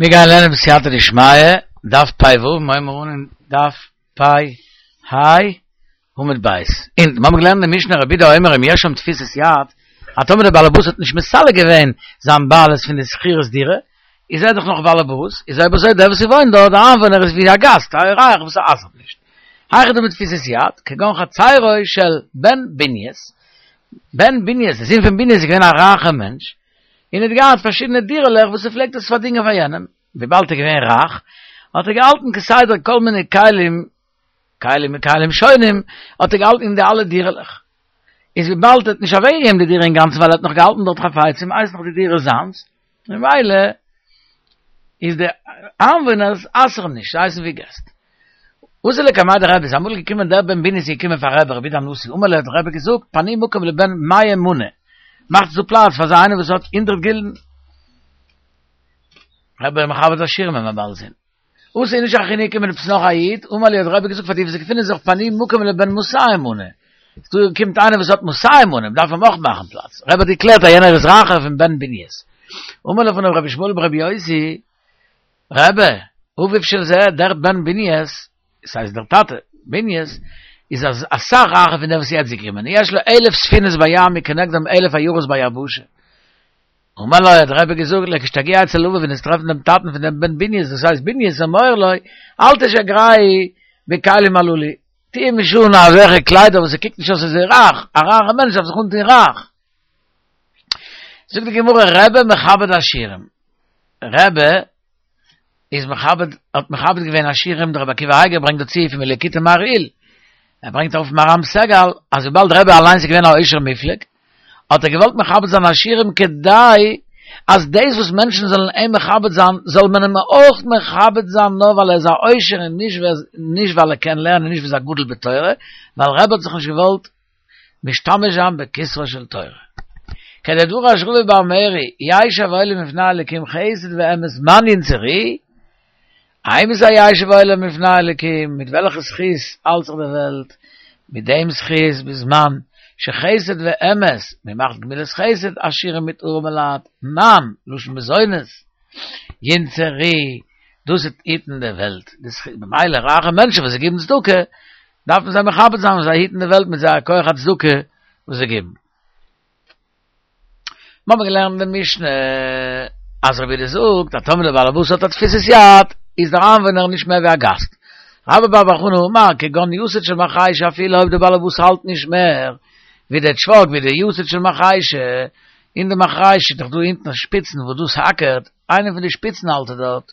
מיר גייען לערנען בסייעתא דשמיא, דף פ ו, מיר הייבן אן אין דף פ ה עמוד ב'. און מיר האבן געלערנט אין די משנה רבי יהודה אומר אם יש שם תפיסת יד, אז טאמער דער בעל הבית האט נישט מסלק געווען זיין בעלות פון די שכירות דירה, איז ער דאך נאך בעל הבית, איז אויב אזוי דער וואס וואוינט דארט, דער איינוואוינער איז ווי א גאסט, א אורח וואס ער אסר'ט נישט. היכי דמי תפיסת יד, כגון חצרו של בן בניאס, בן בניאס, דער זון פון בניאס איז געווען א רייכער מענטש, און ער האט געהאט פארשידענע דירה'לעך וואס ער פלעגט עס פארדינגען פאר יענעם, וויבאלד ער איז געווען רייך, האט ער געהאלטן כסדר כל מיני כלים, כלים מכלים שונים, האט ער געהאלטן אין די אלע דירה'לעך. איז וויבאלד ער האט נישט אוועקגעגעבן די דירה אינגאנצן ווייל ער האט נאך געהאלטן דארט חפצים, הייסט נאך די דירה זיינס, ממילא איז די איינוואוינערס אסר'ן נישט, זיי הייסן ווי געסט. אתא לקמיה דרבי, איז אמאל געקומען דער בן בניאס איז געקומען פאר רבי, רבי יהודה הנשיא, אמר ליה האט רבי געזאגט, פנו מקום לבן מאה מנה, מאכטס דא פלאץ פאר אזא איינער וואס האט הונדרעט גילדן. רבי איז מכבד עשירים ווי מ'וועט באלד זען. אתא איניש אחרינא געקומען עפעס נאך א איד, אמר ליה האט רבי געזאגט פאר די וואס געפינען זיך פנו מקום לבן מאתים מנה, דא קומט איינער וואס האט מאתים מנה, מ'דארף אים אויך מאכן פלאץ, רבי האט געקלערט אז יענער איז רייכער פון בן בניאס. אמר לפניו רבי ישמעאל ברבי יוסי, רבי, אביו של זה, דער בן בניאס, עס הייסט דער טאטע, בניאס, איז אסאך רייכער פון דעם וואס איז יעצט געקומען, יש לו אלף ספינות בים וכנגדם אלף עיירות ביבשה. אמר לו, האט דער רבי געזאגט, לכשתגיע אצל אביו ווען וועסט טרעפן דעם טאטן פון דעם בן בניאס, דאס הייסט בניאס, אמור לו, אל תשגרהו בכלים הללו, טו אים נישט אן אזעלכע קליידער וואס ער קוקט נישט אויס אזוי רייך, א רייכער מענטש דארף זיך אנטון רייך. זאגט די גמרא, רבי מכבד עשירים, רבי איז מכבד, האט מכבד געווען עשירים, דער רבי עקיבא אייגער ברענגט דא צו פון מליקוטי מהרי"ל, ער ברענגט אויף מהר"ם סגל, אז וויבאלד רבי אליינס איז געווען א עושר מופלג, האט ער געוואלט מכבד זיין עשירים כדי אז דאס וואס מענטשן זאלן אים מכבד זיין, זאל מען אים אויך מכבד זיין נאר ווייל ער איז א עושר און נישט ווייל ער קען לערנען און נישט ווייל ער איז א גדול בתורה, ווייל רבי האט זיך נישט געוואלט משתמש זיין בכתרה של תורה. כדדרש רבא בר מרי, ישב עולם לפני אלקים חסד ואמת מאן ינצרוהו, אימתי ישב עולם לפני אלקים, מיט וועלכע זכות האלט זיך די וועלט, מיט דעם זכות בזמן שחסד ואמת, מען מאכט גמילות חסד עשירים מיט ארעמעלייט, מאן, לשון מזונות, ינצרוהו, דאס וועט היטן די וועלט, ממילא רייכע מענטשן וואס זיי גיבן צדקה, דארף מען זיי מכבד זיין וואס זיי היטן די וועלט מיט זייער כח הצדקה וואס זיי גיבן. מיר האבן געלערנט אין די משנה אז רבי יהודה זאגט אז טאמער דער בעל הבית האט א תפיסת יד איז דער איינוואוינער נישט מער ווי א גאסט. רבה בר בר חנה אמר כגון יתד של מחרישה אפילו אויב דער בעל הבית האלט נישט מער ווי דער טשוואק ווי דער יתד של מחרישה אין די מחרישה איז דאך דא אונטן שפיצן וואס דאס האקערט איינע פון די שפיצן האלט ער דארט,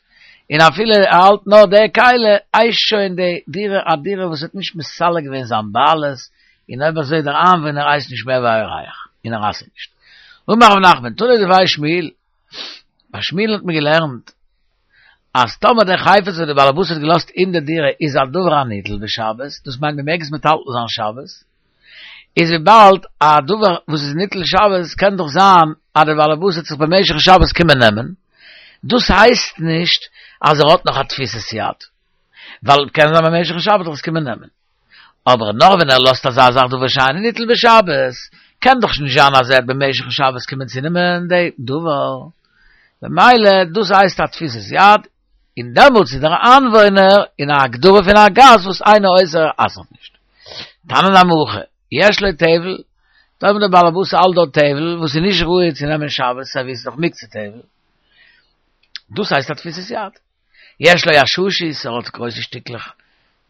און אפילו ער האלט נאר די כלי, הייסט שוין די דירה א דירה וואס האט נישט מסלק געווען זיין בעלות, און אויב אזוי דער איינוואוינער הייסט נישט מער ווי א אורח, און ער אסר'ט נישט. אמר רב נחמן, תנא דבי שמואל, ביי שמואל האט מען געלערנט, אז טאמער דער חפץ וואס דער בעל הבית האט געלאזט אין די דירה איז א דבר הניטל בשבת, דאס מיינט מען מעג עס מטלטל זיין שבת, איז וויבאלד א דבר וואס איז ניטל שבת קען דאך זיין אז דער בעל הבית וועט זיך במשך שבת קומען נעמען, דאס הייסט נישט אז ער האט נאך א תפיסת יד, ווייל קען זיין במשך שבת וועט ער עס קומען נעמען. אבער נאר ווען ער לאזט אזא זאך דבר שאינו ניטל בשבת, קען דאך נישט זיין אז ער וועט במשך שבת קומען צו נעמען די דבר, במילא דאס הייסט א תפיסת יד, און דעמאלטס איז דער איינוואוינער אין א הגדרה פון א גאסט וואס אינו אוסר אסר'ט נישט. תנא נמי הכי, יש לו טבל, טאמער דער בעל הבית האלט דארט טבל וואס איז נישט ראוי צו נעמען שבת סיי ווי עס איז דאך מוקצה טבל, דאס הייסט א תפיסת יד. יש לו עששית, ער האט גרויסע שטיקלעך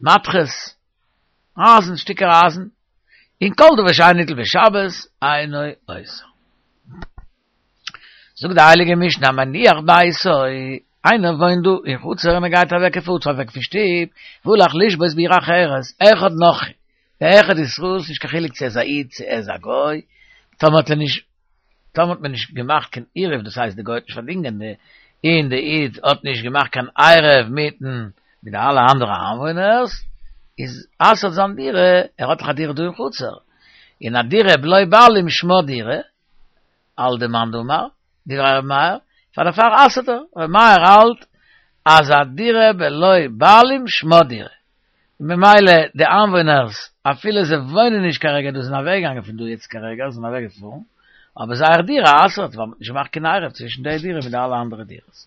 מתכות, אייזן, שטיקער אייזן, און כל דבר שאינו ניטל בשבת אינו אוסר. זאגט די הייליגע משנה המניח ביתו, איינער וואוינט דא אין חצר און ער גייט אוועק ער פארט אוועק פון שטוב, והלך לשבות בעיר אחרת, אחד נכרי ואחד ישראל, ס'נישט קיין חילוק צו ער איז א איד צו ער איז א גוי, טאמער האט ער נישט טאמער האט מען נישט געמאכט קיין עירוב, דאס הייסט די גוי האט נישט פארדינגען די און די איד האט נישט געמאכט קיין עירוב מיטן מיט די אלע אנדערע איינוואוינערס, איז אסר'ט זיין דירה, ער האט דאך א דירה דא אין חצר, און א דירה בלא בעלים שמה דירה, האלט די מאן דאמר, דברי ר' מאיר, פאר דערפאר אסר'ט ער, ר' מאיר האלט אז א דירה בלא בעלים שמה דירה, ממילא די איינוואוינערס אפילו זיי וואוינען נישט כרגע דא זענען אוועקגעגאנגען פון דא יעצט כרגע זענען אוועק געפארן, אבער זייער דירה אסר'ט ווייל מ'האט נישט געמאכט קיין עירוב צווישן די דירה מיט די אלע אנדערע דירות.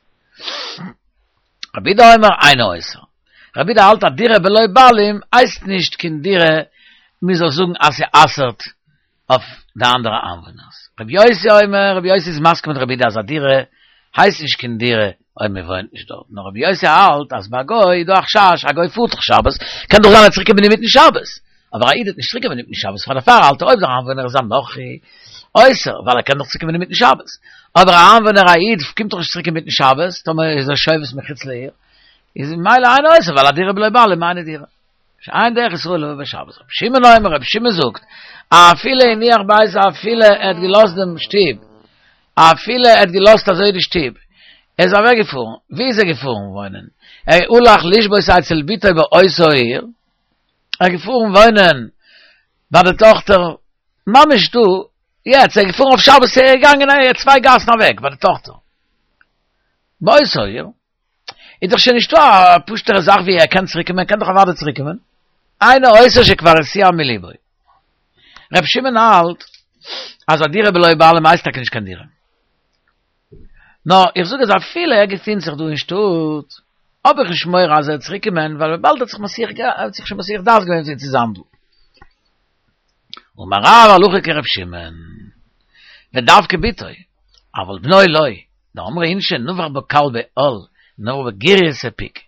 רבי יהודה אומר אינו אוסר. רבי יהודה האלט א דירה בלא בעלים הייסט נישט קיין דירה מען זאל זאגן אז ס'אסר'ט אויף די אנדערע איינוואוינערס. רבי יוסי אומר, רבי יוסי איז מסכים מיט רבי יהודה אז א דירה הייסט נישט קיין דירה אויב מען וואוינט נישט דארט, נאר רבי יוסי האלט אז ביי א גוי איז דא א חשש, א גוי פארט דאך שבת, קען דאך זיין ער וועט צוריק קומען אינמיטן שבת, אבער א איד וועט נישט צוריק קומען אינמיטן שבת, פאר דערפאר האלט ער אויב דער איינוואוינער איז א נכרי, אוסר, ווייל ער קען דאך צוריק קומען אינמיטן שבת, אבער א איינוואוינער א איד קומט דאך נישט צוריק אינמיטן שבת, טאמער איז ער שובת מחוץ לעיר, איז ממילא אינו אוסר ווייל א דירה בלא בעלים אינה דירה. שאין דרך ישראל לבא בשבת. רבי שמעון אומר, רבי שמעון זאגט, אפילו הניח ביתו אפילו ער האט געלאזט דעם שטוב, אפילו ער האט געלאזט אזוי די שטוב, ער איז אוועק געפארן, ווי איז ער געפארן וואוינען? ער הלך לשבות אצל בתו באותה העיר, ער איז געפארן וואוינען ביי די טאכטער ממש דא, יעצט, ער איז געפארן אויף שבת, ער איז געגאנגען צוויי גאסן אוועק ביי די טאכטער, באותה העיר. איז דאך שוין נישטא א פשוט'ערע זאך ווי ער קען צוריק קומען, ער קען דאך אוודאי צוריק קומען. אינו אוסר שכבר הסיע מליבו. ר' שמעון האלט אז א דירה בלא בעלים הייסט טאקע נישט קיין דירה. נאר איך זאג אז אפילו ער געפינט זיך דא אין שטאט, האב איך נישט מורא אז ער וועט צוריק קומען, ווייל וויבאלד ער האט זיך מסיח ער האט זיך שוין מסיח דעת געווען צו זיין דא. אמר רב הלכה כר' שמעון, ודווקא בתו, אבל בנו לא, דאמרי אינשי נבח בה כלבא על, נבח בה גירייתא פיק.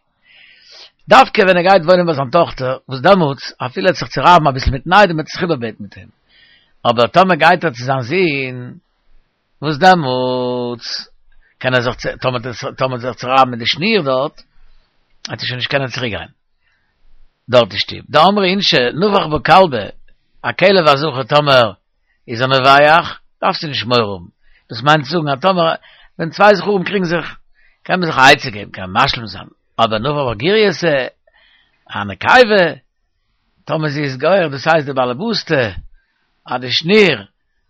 דווקא ווען ער גייט וואוינען ביי זיין טאכטער, וואס דעמאלטס, אפילו ער וועט זיך צורייבן אביסל מיטן איידעם וועט ער זיך איבערבעטן מיט אים. אבער טאמער גייט ער צו זיין זון, וואס דעמאלטס קען ער זיך, טאמער טאמער זיך צורייבן מיט די שניר דארט, וועט ער שוין נישט קענען צוריק גיין דארט אין שטוב. דאמרי אינשי, נבח בה כלבא, א כלב הזכר טאמער איז ער נובח, דארפסטו נישט מורא האבן. דאס מיינט צו זאגן אז טאמער ווען צוויי זכרים קריגן זיך, קען מען זיך א עצה געבן, קען מען משלים זיין, אבער נבח בה גירייתא, א נקבה, טאמער זי איז גורר, דאס הייסט די באלעבאסטע, אז די שניר,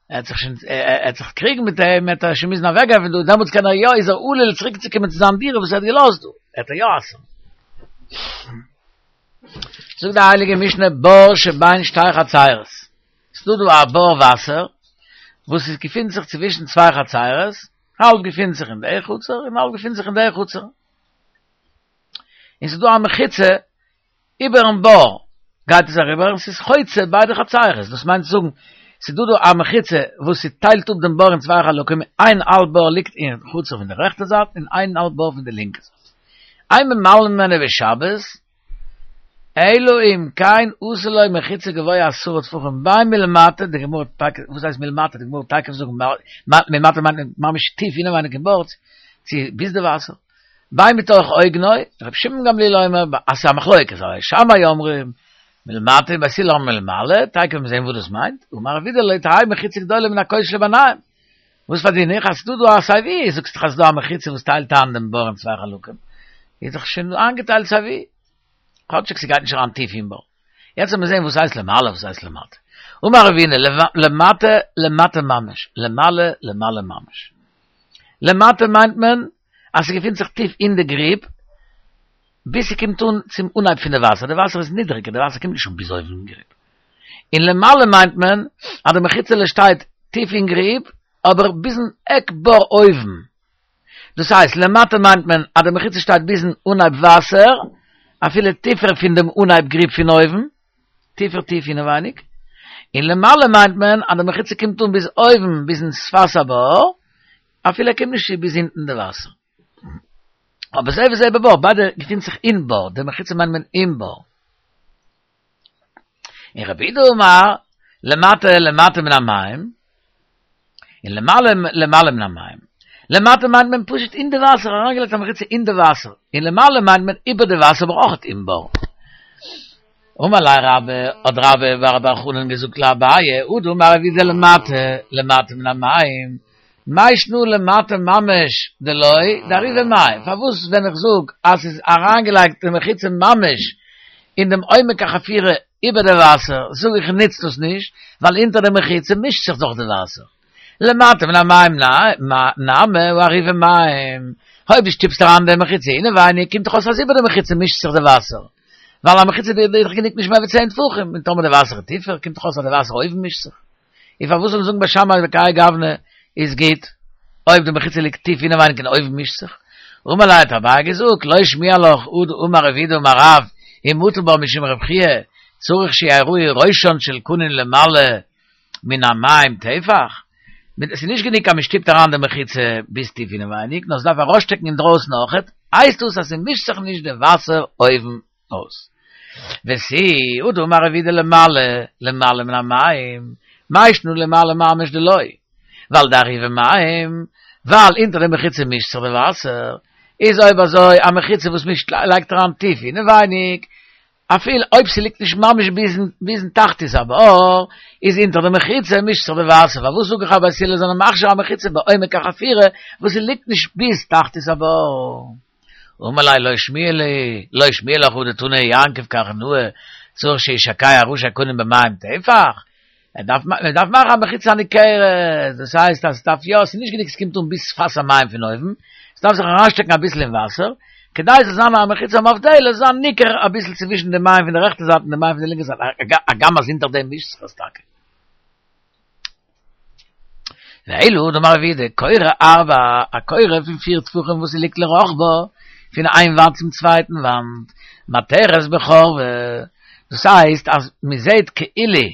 ער וועט זיך שוין, ער וועט זיך קריגן מיט אים, וועט ער שוין מוזן אוועקגיין פון דא, דעמאלטס קען ער יא, איז ער עלול צוריקצוקומען צו זיין דירה וואס ער האט געלאזט דא, וועט ער יא אסר'ן. זאגט די הייליגע משנה בור שבין שתי חצרות, ס'דא דא א בור וואסער וואס עס געפינט זיך צווישן צוויי חצרות, האלב געפינט זיך אין די חצר און האלב געפינט זיך אין די חצר, און ס'איז דא א מחיצה איבערן בור גייט עס אריבער און ס'איז חוצה ביידע חצרות, דאס מיינט צו זאגן ס'איז דא דא א מחיצה וואס ס'טיילט אפ דעם בור אין צוויי חלקים, איין האלב בור ליגט אין חצר פון די רעכטע זייט און איין האלב בור פון די לינקע זייט. אין ממלאין ממנו בשבת, אלא אם כן עשה לו מחיצה גבוה עשרה טפחים בין מלמטה, די גמרא פאקט, וואס הייסט מלמטה, די גמרא וועט תיכף זאגן מלמטה מיינט ממש טיף אינעווייניג אין בור, צו ביז די וואסער, בין מתוך אוגנו, רבי שמעון גמליאל אומר, אז ס'איז א מחלוקת, בית שמאי אומרים מלמטה ובית הלל אומרים מלמעלה, תיכף וועט מען זען וואס דאס מיינט, אמר רב אידי לא תהא מחיצה גדולה מן הכותל שביניהם, וואס פארדין איך אז ס'דא דא א סיי ווי, זאגסט דאך אז ס'דא א מחיצה וואס טיילט איין דעם בור אין צוויי חלקים, איז דאך שוין איינגעטיילט סיי ווי, כאטשיג ס'גייט נישט אריין טיף אין בור. יעצט לאמיר זען וואס הייסט למעלה וואס הייסט למטה. אמר רבינא, למטה למטה ממש, למעלה למעלה ממש. למטה מיינט מען אז ס'געפינט זיך טיף אין די גריב, ביז ס'קומט אן צום אנהייב פון די וואסער, די וואסער איז נידריגער, די וואסער קומט נישט אן ביז אויבן אין גריב. און למעלה מיינט מען אז די מחיצה'לע שטייט טיף אין גריב, אבער ביזן עק בור אויבן. דאס הייסט, למטה מיינט מען אז די מחיצה שטייט ביזן אנהייב וואסער, אפילו טיפער פון דעם אנהייב גריב פון אויבן, טיפער טיף אינעווייניג. און למעלה מיינט מען אז די מחיצה קומט אן ביז אויבן, ביזן שפת הבור, אפילו ער קומט נישט צו ביז אונטן די וואסער. אבער זה וזה בבור, ביידע געפינט זיך אין בור, די מחיצה מיינט מען אין בור. און רב יהודה אמר, למטה למטה מן המים, און למעלה למעלה מן המים. למטה מיינט מען פשוט אין די וואסער, אריינגעלייגט א מחיצה אין די וואסער. און למעלה מיינט מען איבער די וואסער אבער אויך אין בור. אמר ליה רבה, האט רבה בר בר חנן געזאגט לאביי, הא דאמר רב יהודה למטה, למטה מן המים, מאי שנא למטה ממש דלא דעריבי מים, פארוואס ווען איך זאג אז ס'איז אריינגעלייגט די מחיצה ממש אין דעם עומק החפירה איבער די וואסער, זאג איך נוצט דאס נישט, ווייל אונטער די מחיצה מישט זיך דאך די וואסער. למטה מן המים נמי הא עריבי מים, אויב דו שטופסט אריין די מחיצה אינעווייניג קומט דאך אויס אז איבער די מחיצה מישט זיך די וואסער, ווייל א מחיצה איז דאך גענוג נישט מער ווי צען טפחים, און טאמער די וואסער איז טיפער קומט דאך אויס אז די וואסער אויבן מישט זיך. און פארוואס זאל מען זאגן בית שמאי בכהאי גוונא איז גוט, אויב די מחיצה ליגט טיף אינעווייניג און אויבן מישט זיך? אמר ליה האט אביי געזאגט, לא שמיע לך הא דאמר רב יהודה אמר רב, אם מטל בה משום רב חייא, צריך שיראו ראשן של קנין למעלה מן המים טפח, עס איז נישט גענוג אז מען שטופט אריין די מחיצה ביז טיף אינעווייניג, נאר עס דארף ארויסשטעקן אינדרויסן אויכעט, הייסט דאס אז ס'מישט זיך נישט די וואסער אויבן אויס. ותו הא דאמר רב יהודה למעלה למעלה מן המים, מאי שנא למעלה ממש דלא, ווייל דארעא מים, ווייל אונטער די מחיצה מישט זיך די וואסער, איז אויב אזוי א מחיצה וואס מישט לייגט אריין טיף אינעווייניג, אפילו אויב ס'ליגט נישט ממש ביזן תחתית הבור, איז אונטער די מחיצה מישט זיך די וואסער, פארוואס זאג איך אז בית הלל זענען מכשיר א מחיצה בעומק החפירה וואס ס'ליגט נישט ביז תחתית הבור? אמר ליה לא שמיע לי, לא שמיע לך הא דתני יעקב קרנאה, צריך שישקע ראשי קנים במים טפח, מען דארף מען דארף מאכן א מחיצה הניכרת, דאס הייסט אז ס'דארף יא, ס'איז נישט גענוג ס'קומט אן ביז שפת המים פון אויבן, ס'דארף זיך אריינשטעקן אביסל אין וואסער, כדי ס'זאל זיין א מחיצה המבדלת, זאל זיין ניכר אביסל צווישן די מים פון די רעכטע זייט און די מים פון די לינקע זייט, הגם אז אונטער דעם מישט זיך עס טאקע. ואלא הא דאמר רב יהודה, קורה ארבעה, א קורה פון פיר טפחים וואס ס'ליגט לרחבה, פון איין וואנט צום צווייטן וואנט, מתרת בחורבה, דאס הייסט אז מ'זעט כאילו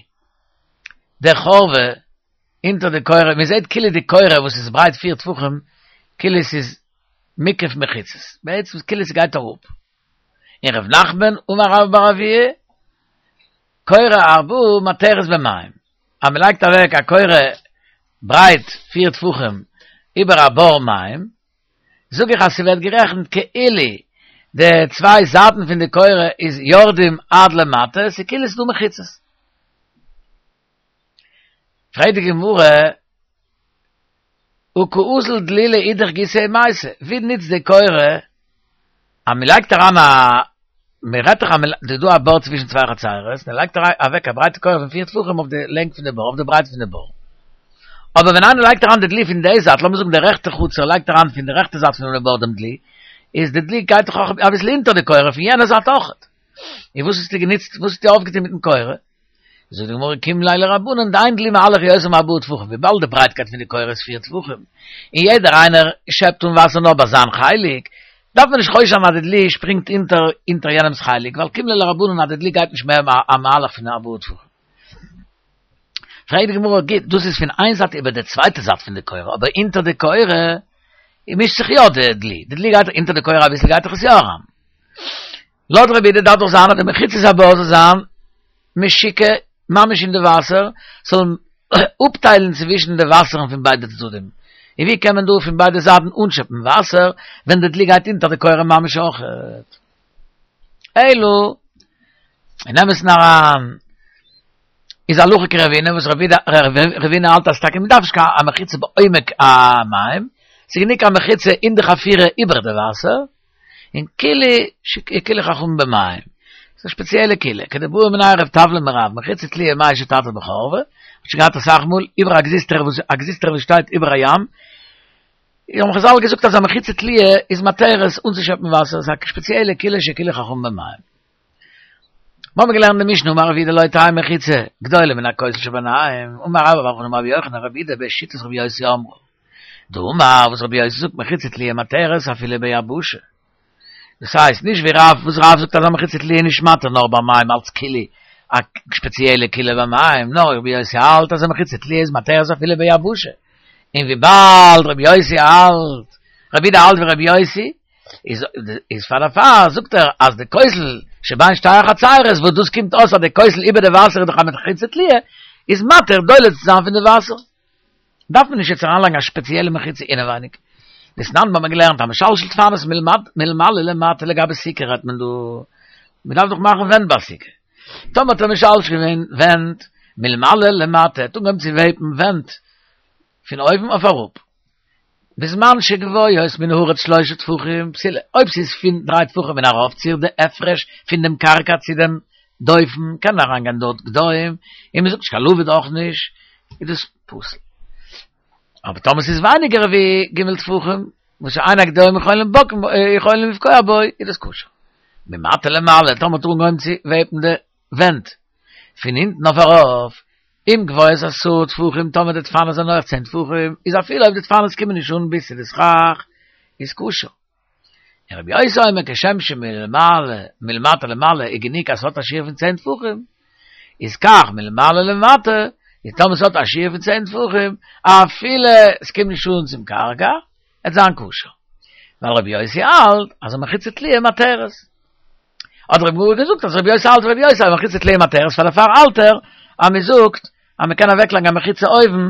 די חורבה אונטער די קורה, מ'זעט כאילו די קורה וואס איז ברייט פיר טפחים, כאילו ס'איז מוקף מחיצות, בעצם כאילו ס'גייט אראפ. און ר' נחמן אמר רבה בר אבוה, קורה ארבעה מתרת במים, אז מען לייגט אוועק א קורה ברייט פיר טפחים איבער א בור מים, זאג איך אז ס'ווערט גערעכנט כאילו די צוויי זייטן פון די קורה איז יורדים עד למטה, ס'איז כאילו ס'איז דא מחיצות. פרעגט די גמרא, הא קא אזיל דלי לאידך גיסא ומייתי, ווי נוצט די קורה אז מען לייגט אריין א, מען רעדט דאך אז ס'איז דא א בור צווישן צוויי חצרות, מען לייגט אוועק א ברייטע קורה פון פיר טפחים אויף די לענג פון די בור, אויף די ברייט פון די בור. אבער ווען איינער לייגט אריין די דלי פון די זייט, לאמיר זאגן די רעכטע חצר לייגט אריין פון די רעכטע זייט פונעם בור דעם דלי, איז די דלי גייט דאך אויך אביסל אונטער די קורה פון יענע זייט אויכעט. און וואס האסטו גענוצט, וואס האסטו אויפגעטון מיטן קורה? זאגט די גמרא קים ליה לרבנן דאין דלי מהלך יותר מארבעה טפחים, וויבאלד די ברייטקייט פון די קורה איז פיר טפחים, און יעדער איינער שעפט אן וואסער נאר ביי זיין חלק, דארף מען נישט חושש זיין אז די דלי שפרינגט אונטער אונטער יענעמ'ס חלק, ווייל קים ליה לרבנן אז די דלי גייט נישט מער א מהלך פון ארבעה טפחים. פרעגט די גמרא, גוט, דאס איז פון איין זייט איבער די צווייטע זייט פון די קורה, אבער אונטער די קורה מישט זיך יא די דלי, די דלי גייט אונטער די קורה אביסל גייט דאך עס יא אריין. לויט רבי יהודה דארף דאך זיין אז די מחיצות הבור זאל זיין משוקע ממש אין די וואסער, זאל אפטיילן צווישן די וואסערן פון ביידע צדדים, און ווי קען מען דא פון ביידע זייטן אנשעפן וואסער ווען די דלי גייט אונטער די קורה ממש אויכעט? אלא, אין אמת'ן אריין, איז הלכה כרבינא וואס רבינא האלט אז טאקע מ'דארף נישט קיין א מחיצה בעומק המים, ס'איז גענוג א מחיצה אין די חפירה איבער די וואסער, און קולא שהקילו חכמים במים. ס'איז א שפעציעלע קולא, כדבעא מיניה רב טבלין מרב, מחיצה תלויה מהו שתטיל בחורבה, האט שוין געהאט אסאך מאל, איבער א גזוזטרא וואס א גזוזטרא וואס שטייט איבער א ים, האבן חזל געזאגט אז א מחיצה תלויה איז מתרת אנצושעפן וואסער, ס'איז א שפעציעלע קולא שהקילו חכמים במים. מיר האבן געלערנט די משנה אמר רב יהודה לא תהא מחיצה גדולה מן הכותל שביניהם, אמר רבה בר בר חנה אמר רבי יוחנן רבי יהודה בשיטת רבי יוסי אמרה. דאמר וואס רבי יוסי זאגט מחיצה תלויה מתרת אפילו ביבשה. דאס הייסט נישט ווי רב וואס רב זאגט אז א מחיצה תלויה איז נישט מתיר נאר ביי מים אלץ קולא א שפעציעלע קולא ביי מים, נאר רבי יוסי האלט אז א מחיצה תלויה איז מתרת אפילו ביבשה. און וויבאלד רבי יוסי האלט, רבי יהודה האלט ווי רבי יוסי, איז איז פאר דערפאר זאגט ער אז די כותל שבין שתי החצרות וואס דאס קומט אויס אז די כותל איבער די וואסער איז דאך א מחיצה תלויה איז מתיר דולה צו זיין פון די וואסער דארף מען נישט יעצט אריינלייגן א שפעציעלע מחיצה אינעווייניג. דתנן האבן מיר געלערנט המשלשל דפנות מלמעלה למטה לגבי סוכה רעדט מען דא, מען דארף דאך מאכן ווענט ביי סוכה. טאמער האט ער משלשל געווען ווענט מלמעלה למטה, ער האט אנגעהויבן צו וועבן ווענט פון אויבן אויף אראפ, בזמן שגבוהות מן הארץ שלושה טפחים פסולה, אויב ס'איז פון דריי טפחים און ארויפציר די הפרש פון דעם קרקע צו דעם דופן קען אריינגיין דארט גדיים, און מ'זאגט נישט קיין לבוד אויך נישט, איז דאס פסול. אבער טאמער ס'איז ווייניגער ווי ג' טפחים, וואס שאין הגדיים יכולים יכולים לפגוע בו, איז דאס כשר. ממטה למעלה, טאמער האט ער אנגעהויבן צו וועבן די ווענט פון אונטן אויף ארויף, אם גבוהות עשרה טפחים טאמער די דפנות זענען הויך צען טפחים, איז אפילו אויב די דפנות קומען נישט אן ביז צו די סכך, איז כשר. און רבי יוסי אומר כשם שמלמעלה מלמטה למעלה איז גענוג אז ס'האט א שיעור פון צען טפחים, איז כך מלמעלה למטה, איז טאמער ס'האט א שיעור פון צען טפחים, אפילו ס'קומט נישט אן צום קרקע, עט זיין כשר. ווייל רבי יוסי האלט אז א מחיצה תלויה מתרת. האט די גמרא געזאגט אז רבי יוסי האלט רבי יוסי אז מחיצה תלויה מתרת, פאר דערפאר האלט ער אז מ'זאגט אז מ'קען אוועקלייגן א מחיצה אויבן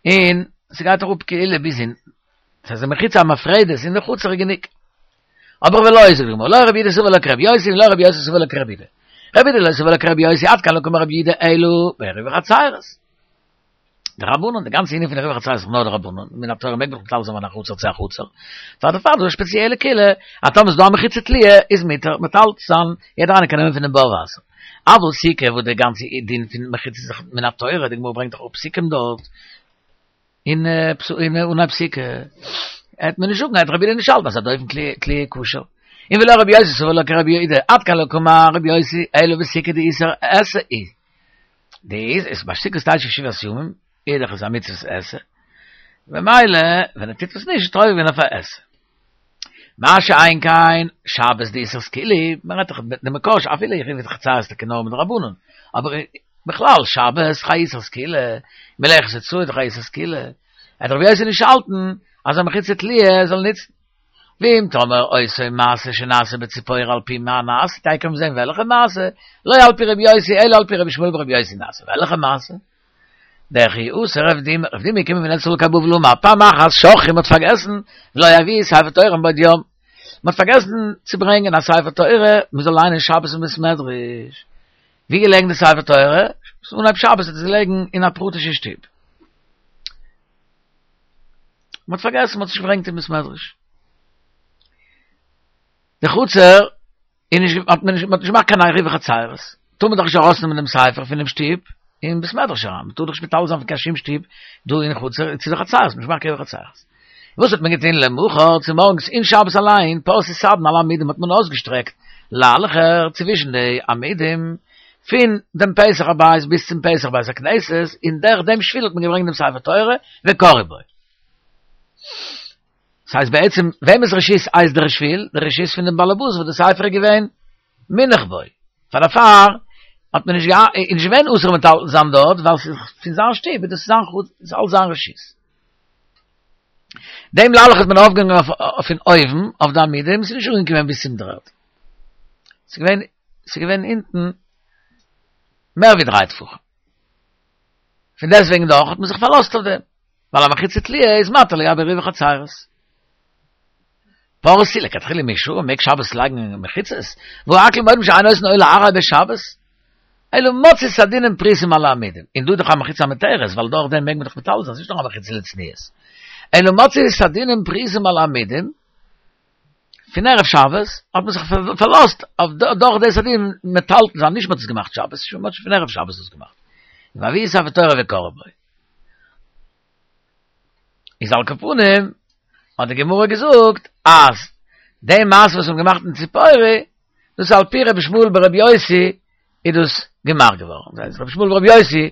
און ס'גייט אראפ כאילו ביז אונטן. ס'איז א מחיצה המפרדת אין די חצר איז גענוג. אבער ולא זאגט די גמרא, לא רבי יהודה סבר לה כרבי יוסי ולא רבי יוסי סבר לה כרבי יהודה. רבי יהודה לא סבר לה כרבי יוסי עד כאן לא קאמר רבי יהודה אלא בעירובי חצירות. דרבנן, די גאנצע ענין פון עירובי חצירות איז נאר דרבנן, מן התורה מעג מען מטלטל זיין פון א חצר צו א חצר. פאר דערפאר איז דא א שפעציעלע קולא, אז טאמער איז דא א מחיצה תלויה איז מותר מטלטל זיין, יעדער איינער קען נעמען פונעם בור וואסער. אבל סוכה וואס די גאנצע דין פון מחיצה איז דאך מן התורה, די גמרא ברענגט דאך אפ פסוקים דארט, אין אין אנהייב סוכה העט מען נישט זאגן העט רבי יהודה נישט האלטן אז א דופן תלויה כשר און ולא רבי יוסי סבר לה כרבי יהודה עד כאן לא קאמר רבי יוסי אלא בסוכה דאיסור עשה היא די איז ביי סוכה סטייטש ישיבת ימים איז דאך עס א מצוות עשה במילא ווען ער טוט עס נישט איז ער עובר געווען אויף א עשה מה שאין כן שבת דאיסור סקילה, מען רעדט דאך די מקור אפילו עירובי חצירות טאקע נאר מדרבנן, אבער בכלל שבת איז איסור סקילה, מלאכת הוצאה איז דאך איסור סקילה, וועט רבי יוסי נישט האלטן אז א מחיצה תלויה זאל נוצן. ואם תאמר אותו מעשה שנעשה בציפורי על פי מה נעשה, תיכף וועלן זען וועלכע מעשה, לא על פי רבי יוסי אלא על פי רבי ישמעאל ברבי יוסי נעשה, וועלכע מעשה? דכי אתא רב דימי, רב דימי געקומען פון ארץ ישראל קיין בבל אמר פעם אחת שכחו מ'האט פארגעסן ולא הביאו ספר תורה מבעוד יום, מ'האט פארגעסן צו ברענגען א ספר תורה מ'זאל ליינען שבת אין בית מדרש, ווי געלעגן די ספר תורה? אנהייב שבת איז עס געלעגן אין א פרטישע שטוב, מ'האט פארגעסן מ'האט עס נישט געברענגט אין בית מדרש, די חצר איז נישט האט מען נישט מ'האט נישט געמאכט קיין עירובי חצירות, טאר מען דאך נישט ארויסנעמען דעם ספר פונעם שטוב אין בית מדרש אריין, מ'טאר דאך נישט מטלטל זיין פון קיין שום שטוב דא אין חצר צו די חצרות, מ'האט נישט געמאכט קיין עירובי חצירות. וואס האט מען געטון למחר צומארגנס אין שבת אליין, פרשו סדין על העמודים האט מען אויסגעשטרעקט ליילעכער צווישן די עמודים פון דעם פתח הבית ביז צום פתח בית הכנסת, און דורך דעם שביל האט מען געברענגט דעם ספר תורה וקראו בו. ס'הייסט בעצם וועמענס רשות איז דער שביל? דער רשות פון דעם באלעבאס וואס די ספר איז געווען מונח בו. פאר דערפאר האט מען נישט געהא איז נישט געווען אסור מטלטל זיין דארט ווייל ס'איז פון זיין שטוב איז דאס זיין חוץ איז אלס זיין רשות. דעם ליילעך האט מען אויפגעהאנגען אויף פון אויבן אויף די עמודים ס'איז נישט אנגעקומען ביז צום דר'ערד. ס'איז געווען ס'איז געווען אונטן מער ווי דריי טפחים. פון דעסטוועגן דאך האט מען זיך פארלאזט אויף דעם, ווייל א מחיצה תלויה איז מתיר לגבי עירובי חצירות. פרשו לכתחילה מי שרי מעג שבת לייגן מחיצות, והא הכל מודים שאין עושין אוהל עראי בשבת, אלא מצאו סדינין פרוסים על העמודים, און דא איז דאך א מחיצה המותרת, ווייל דורך דעם מעג מען דאך מטלטל זיין, ס'איז נישט נאר א מחיצה לצניעות, אלא מצאו סדינין פרוסים על העמודים, פון ערב שבת האט מען זיך פארלאזט אויף דורך די סדין מטלטל זיין, נישט מען האט עס געמאכט שבת, מען האט שוין פון ערב שבת עס געמאכט. והביאו ספר תורה וקראו בו. איז על כל פנים האט די גמרא געזאגט אז די מעשה וואס מ'האט געמאכט אין ציפורי, דאס איז על פי רבי ישמעאל ברבי יוסי איז דאס געמאכט געווארן. דאס הייסט רבי ישמעאל ברבי יוסי,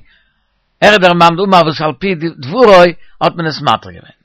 ער איז דער מאן דאמר וואס על פי דברו האט מען עס מתיר געווען.